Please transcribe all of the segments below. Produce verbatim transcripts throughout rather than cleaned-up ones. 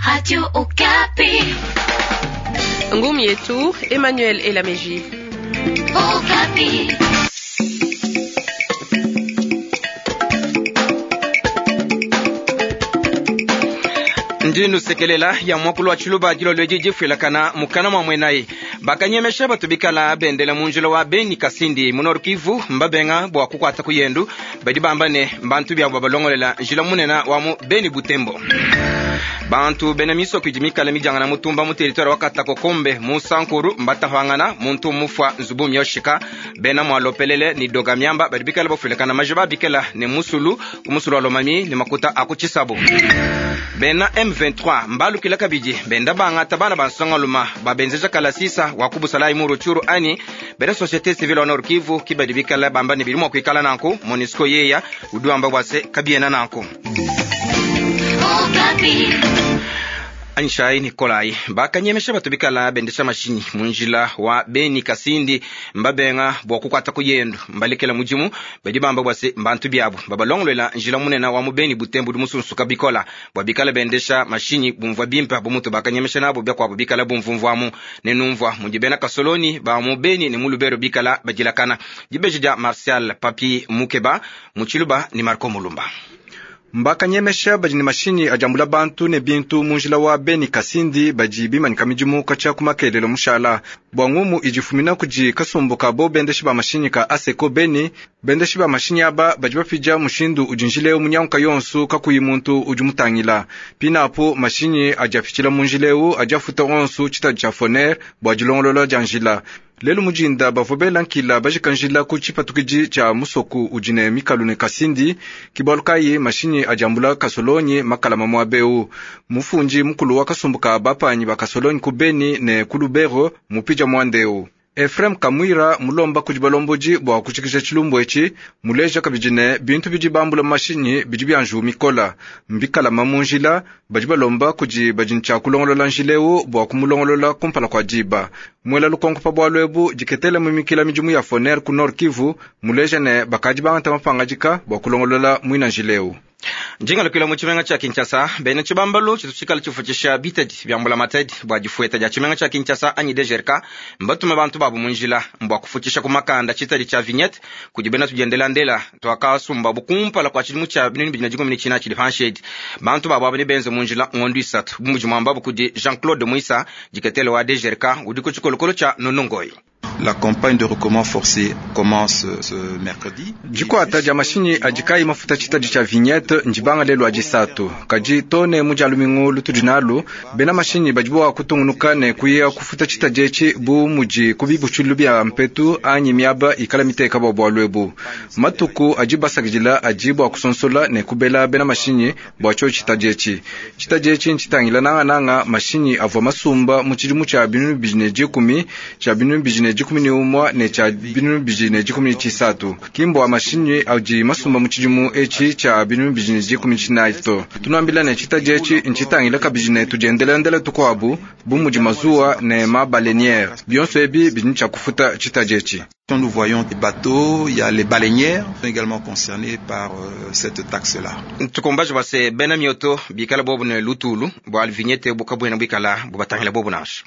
Radio Okapi. Ngumi yetu Emmanuel Elameji. Okapi. Ndindu sekelela ya mwakulu wa tshiluba dilolo edi difuilakana mukana mwa mwenayi bakanyemesha batu bikala bendela munjila wa beni kasindi mu Nord Kivu mbabenga bua kukwata kuyendu badi bamba ne mbantu biabo babalongolela njila munena wa mu beni butembo. Bantu bena misoko idi mikala midiangana mutumba mu territoire wa Katakokombe mu Sankuru mbatahangana muntu mufwa nzubu myoshika bena mwalopelele ni doga miamba badi bikala bafuilakana majiba bikela ne musulu ku musulu wa Lomami ne makuta akutshisabu. Bena M vingt-trois mbalukila kabidi benda bangata bana bansongaluma babenzeja kalasisa wa kubusala mu Rutshuru ani bena société civile wa Nord Kivu kibadi bikala bamba ne bili mwa kuikala nanku MONUSCO yeya uduamba bwase kabiena nanku. Anshai Nikolai bakanyemesha batu bikala bendesha mashinyi munjila wa beni kasindi mbabenga bua kukwata kuyendu mbalekela mudimu badi bamba bwase mbantu biabo babalongolola njila munena wa mubeni butembo du musunsuka bikola bua bikala bendesha mashinyi bumvua bimpa bumutu bakanyemesha nabo byakwabo bikala bumvumvuamu ne numvua mudi bena kasoloni ba mubeni ne mulubero bikala badilakana dibeji dia Martial Papi Mukeba muchiluba ni Marco Mulumba. Mbakanyemesha badi ne mashinyi ajambula bantu ne bintu munjila wa beni kasindi badi bimanika midimu katshia ku makelelo mushala bua ngumu idifumina kudi kasumbu ka bo bendeshi ba mashinyi ka aseko beni bendeshi ba mashinyi aba badi bapidia mushindu udi njileu munyanguka yonsu kakuyi muntu udi mutangila pinapo mashinyi adi apitshila mu njileu adi afuta onsu tshitadi tshia foner bua dilongolola dia njila. Lelu mujinda bavua bela nkila bajika njila ku tshipatukidi tshia musoku udi ne mikalu ne kasindi kibalu kayi mashinyi adiambula kasolonyi makalama muabeu mufundi mukulu wa kasumbu ka bapanyi ba kasolonyi ku beni ne ku lubero mupija muandeu Efrem Kamwira mulomba kudi balomboji bua kutshikisha tshilumbu etshi muleja kabidi ne bintu bidi bambula mashinyi bidi bia njiwu mikola mbikalama mu njila badi balomba kudi badi ntshia kulongolola njileu bua kumulongolola kumpala kua diba muela lukonko pa bualu ebu diketela mimikila midimu ya foner ku Nord Kivu muleja ne bakadi bangata mapangadika bua kulongolola muina njileu. Njingalukila mu tshimenga tshia Kinshasa bena tshibambalu tshitu tshikala tshifutshisha bitadi bia mbula matadi bua difueta dia tshimenga tshia Kinshasa anyi D G R K mbatume bantu babu mu njila mbua kufutshisha ku makanda tshitadi tshia vignette kudi bena tudiendela ndela twakasumba bukumpala kua tshidimu tshia binunu bibidi na dikumi ne tshina tshidi panshi bantu babu aba ne benze mu njila ngondu isatu bu mudi muambabu kudi Jean-Claude Muisa diketele wa D G R K udi ku tshikolokolo tshia Nonongoyi. La campagne de recommande forcé commence ce mercredi. Dikwata dia mashinyi adi kayi mafuta tshitadi tshia vignette ndibanga lelu adi satu. Kadi tone mu dia lumingu lutudi nalu, bena mashinyi badi bua kutungunuka ne kuya kufuta tshitadi etshi bu mudi ku bibutshilu bia mpetu anyi miaba ikala miteka bua bualu ebu. Matuku adi basakidila adi bua kusonsola ne kubela bena mashinyi bua tshio tshitadi etshi. Tshitadi etshi ntshitangila nangananga mashinyi avua masumba mu tshidimu tshia binunu bibidi ne dikumi, tshia binunu bibidi ne dikumi ne umua ne tshia binunu bibidi ne dikumi ne tshisatu. Kimbo wa mashinyi adi masumba mu tshidimu etshi tshia binunu bibidi ne dikumi tshinayi to. Tunuambila ne tshitadi etshi ntshitangila kabidi ne tudiendelandela tukuabu bu mudi mazuwa ne mabaleniere. Bionso ebi bidi tshia kufuta tshitadi etshi. Nous voyons des bateaux, il y a les baleinières également concernées par, euh, cette taxe-là. Tukumbaje base bena mioto bikala bobu ne lutulu bua vignette bukabuena bikala bubatangila bobu nansha.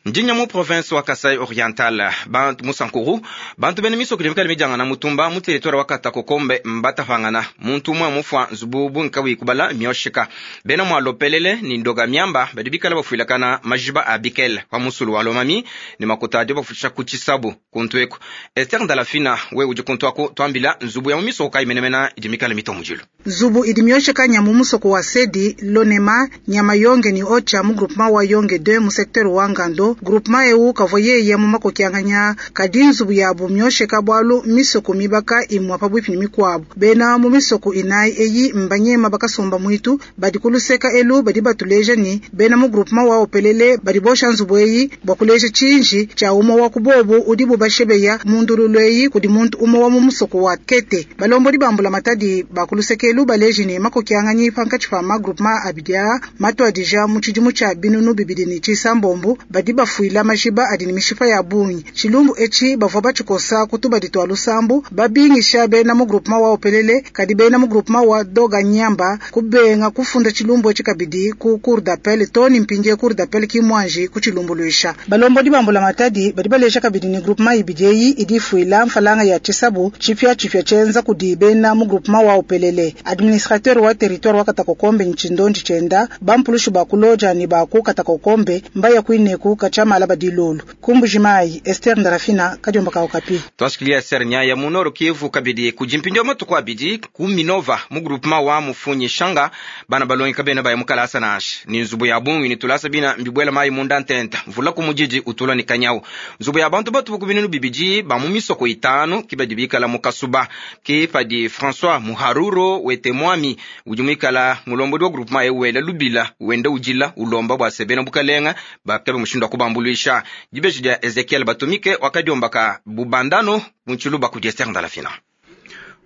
Ndinya mu province wa Kasai Oriental bantu musankuru bantu bene misoko dimikala mijanga na mutumba mu territoire wa Katakokombe mbatafangana muntu umwe mufwa nzubu bunkawi kubala myoshika bena mwa lopelele ni ndoga miamba badi bikala bafuilakana majiba a bikel kwa musulu wa Lomami ni makuta adi bafutsha ku tshisabu kuntu eko Esther Ndalafina we udi kuntu ako twambila nzubu ya mu misoko kayi menemena idimikala mitomujilu Nzubu idi myoshika nya mu musoko wa Sedi Lonema nyama yonge ni ocha mu groupement wa Yonge deux mu secteur wa Ngando groupement eu kavoye ya mu makokianganya kadi nzubu ya bu myosheka bwalu misoko mibaka imwa pabwipi ni mikwabu bena mu misoko inayi eyi mbanyema bakasomba mwitu badi kuluseka elu badi batuleja ni bena mu groupement wa opelele badi bosha nzubu eyi bwa kuleja chinji cha umo wa kubobu udi bubashebeya mundululu eyi kudi muntu umo wa mu musoko wa kete balombodi bambula matadi bakuluseka elu baleji ne makokianganyi pankatshi pa ma groupement abidia matwadija mu tshidimu tshia binunu bibidi ne tshisambombo badi bafuila majiba adi ne mishipa ya bungi. Tshilumbu etshi bavua batshikosa ku tubadi twa lusambu babingisha bena mu groupement wa Opelele kadi bena mu groupement wa Doga Nyamba kubenga kufunda tshilumbu etshi kabidi ku cour d'appel toni mpindie cour d'appel kimwanji ku tshilumbuluisha. Balombodi ba mbula matadi badi baleja kabidi ni groupement ibidi eyi idi ifuila mfalanga ya tshisabu tshipia tshipia tshienza kudi bena mu groupement wa Opelele. Administrateur wa territoire wa Katakokombe ntshindondi tshienda bampulushi ba kuloja ni ba ku Katakokombe mbaya kuineku kachamala badilolo. Kumbujimai Esther Ndarafina kadiomba ka Okapi. Twashikilia Esther Nyaya mu Nord Kivu kabidi kujimpindia matuku abidi ku Minova mu groupement wa Mufunyi Shanga bana balongi kabena baya mukalasa nasha ni nzubu ya bungi ni tulasa bina mbibwela mayi munda ntenta mvula ku mujiji utulwa ni kanyau nzubu ya bantu batu bukubinunu bibidi ba mu misoko itanu kibadi bikala mu kasuba ke padi François Muharuro wete mwami udi muikala mulombodi wa groupement ewela lubila wenda ujila ulomba bwa sebena bukalenga bakabe mushindu wa kubambuluisha dibeji dia Ezekiel Batumike wakadiombaka bubandano munchiluba kudi Esther Ndalafina.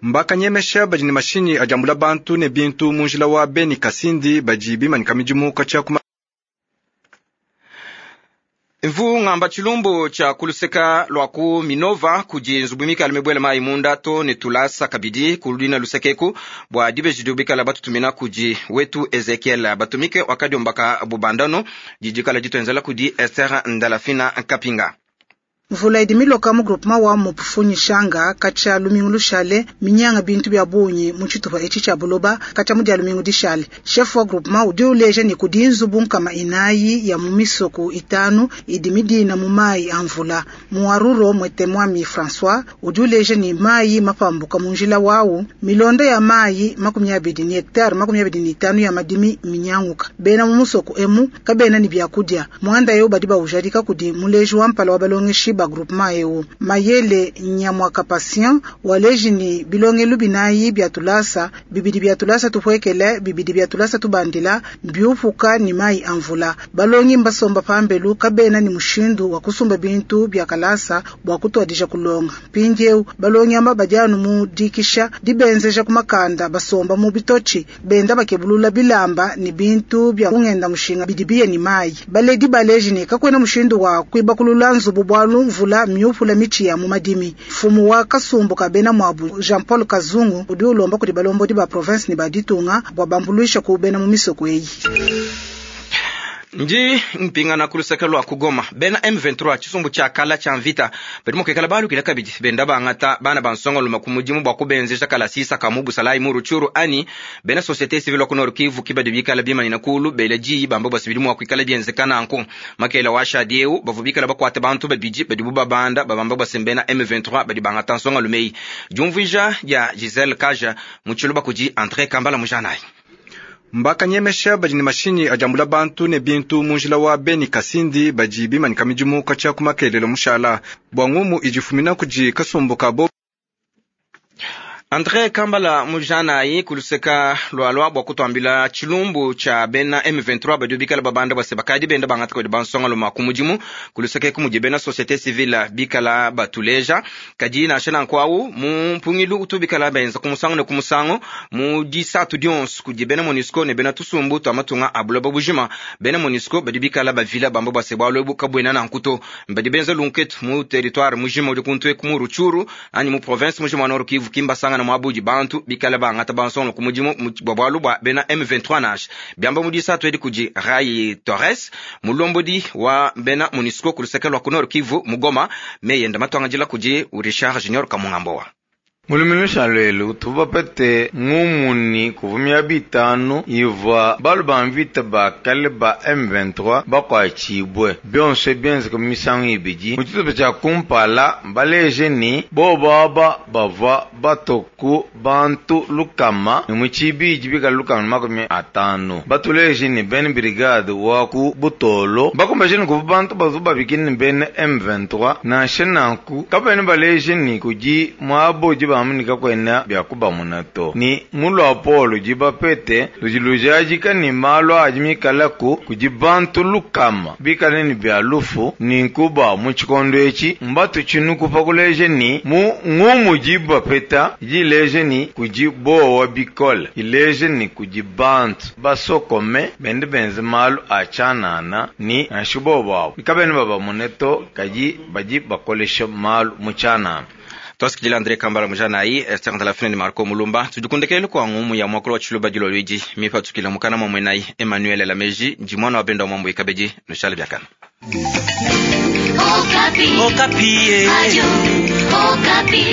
Mbakanyemesha badi ne mashinyi adiambula bantu ne bintu mu njila wa Beni Kasindi badi bimanyika midimu katshia kuma Mvu ngamba tshilumbu tshia kuluseka lwa ku Minova kudi nzubu mikala mibwela mayi munda to ne tulasa kabidi kulina lusekeku bua dibeji dibikala batutumina kudi wetu Ezekiel Batumike wakadiombaka bubandano didikala ditwenzela kudi Esther Ndalafina Kapinga. Mvula idi miloka mu groupement wa Mufunyi Shanga katshia lumingu lushale minyanga bintu bya bungi mu tshitupa etshi tshia buloba katshia mu dia lumingu dishale. Chef wa groupement udi uleja ni kudi nzubu nkama inayi ya mu misoko itanu idi midina mu mayi a mvula. Muharuro mwete mwami François udi uleja ni mayi mapambuka mu njila wawu milonda ya mayi makumi abidi ni hectare makumi abidi ni itanu ya madimi minyanguka. Bena mu musoko emu kabena ni byakudia mwanda yo badi baujadika kudi muleji wa mpala wa balongeshi ba groupement eu mayele nyamwaka patient waleji ni bilongelu binayi bya tulasa bibidi bya tulasa tupwekele bibidi bya tulasa tubandila mbiupuka ni mayi amvula balongi mbasomba pambelu kabena ni mushindu wa kusumba bintu bya kalasa bwa kutwadija kulonga mpindieu balongi amba badianu mu dikisha dibenzeja kumakanda basomba mu bitochi benda bakebulula bilamba ni bintu bya kungenda mushinga bidibiye ni mayi baledi baleji ni kakwena mushindu wa kwibakulula nzubu bwalu mvula miupula michi ya mumadimi. Fumu wa kasumbu kabena mwabu Jean Paul Kazungu udi ulomba kudi balombodi ba province ni baditunga bwa bambuluisha ku bena mu misoko eyi. Ndi mpingana kuluseke lwa kugoma bena M vingt-trois tshisumbu tshia kala tshia mvita badi mukekela balukila kabidi benda bangata bana bansonga luma ku mudimu bua kubenzesha kala sisa ka mu busalayi mu Rutshuru ani bena société civile ku Nord Kivu kibadi bikala bimanyina kulu bela diyi bamba bwasibili mua kuikala bienzekana nanku makela wa shadieu bavu bikala bakwate bantu babidi badi bubabanda babamba bwasembena M vingt-trois badi bangata nsonga lumeyi diumvuija dia Giselle Kaja mu tshiluba kudi André Kambala mujanayi. Mbakanyemesha badi ne mashinyi adiambula bantu ne bintu mu njila wa Beni Kasindi badi bimanyika midimu katshia ku makelelo mushala bua ngumu idi ifumina kudi kasumbu kabo. André Kambala mujanayi kuluseka lwalwa bua kutuambila tshilumbu tshia bena M vingt-trois badi bikala babanda bwase bakadi benda bangata kudi bansonga luma ku mudimu kuluseka ku mudi bena société civile bikala batuleja kadi nansha nanku awu mu mpungilu utu bikala benza ku musangu ne ku musangu mu disatu dionso kudi bena MONUSCO ne bena tusumbu twa matunga a buloba bujima bena MONUSCO badi bikala bavila bamba bwase bwalu ebu kabwena nanku to badi benza lunketu mu territoire mujima udi kuntu eku mu Rutshuru anyi mu province mujima wa Nord Kivu kimbasanga mwabudi bantu bikala bangata bansonga ku mudimu bwa bwalu bwa bena M vingt-trois nash byamba mu disatu edi kudi Rai Torres mulombodi wa bena MONUSCO ku luseke lwa ku Nord Kivu mu Goma meyenda matwangajila kudi Richard Junior Kamungambowa. Mulumilusha lelu tubapete ngumuni kuvumia bitanu ivwa balu ba mvita bakale ba M vingt-trois bakwachibwe byonse byenze ku misangu ibidi mu tshitupa tshia kumpala baleje ni bobaba bava batoku bantu lukama ni mu tshibidi bikala lukama makumi atanu batuleje ni ben brigade wa ku butolo bakombeje ni kuvu bantu bazu babikini ni ben M vingt-trois nansha nanku kabene baleje ni kudi mwabo bamuni kakwena bya kubamuna to ni mulwa polo jibapete lujilujajika ni malu ajimikalaku kujibantu lukama bikale ni bya lufu ni nkuba mu chikondo echi mbatu chinuku pakuleje ni mu ngumu jibapeta jileje ni kujibowa bikole ileje ni kujibantu basokome bende benze malu achanana ni ashubobawo ikabene baba muneto kaji baji bakolesha malu muchanana. Twasikijila Andre Kambala mujanayi Esther Ndalafine ni Marco Mulumba tudikundekele kwa ngumu ya mwakolo wa chiluba jilo lwiji mipatukila mukana mwa mwenayi Emmanuel Lameji njimwana wa benda wa mwambo ikabeji nushale byakana. Okapi. Okapi. Adio, Okapi.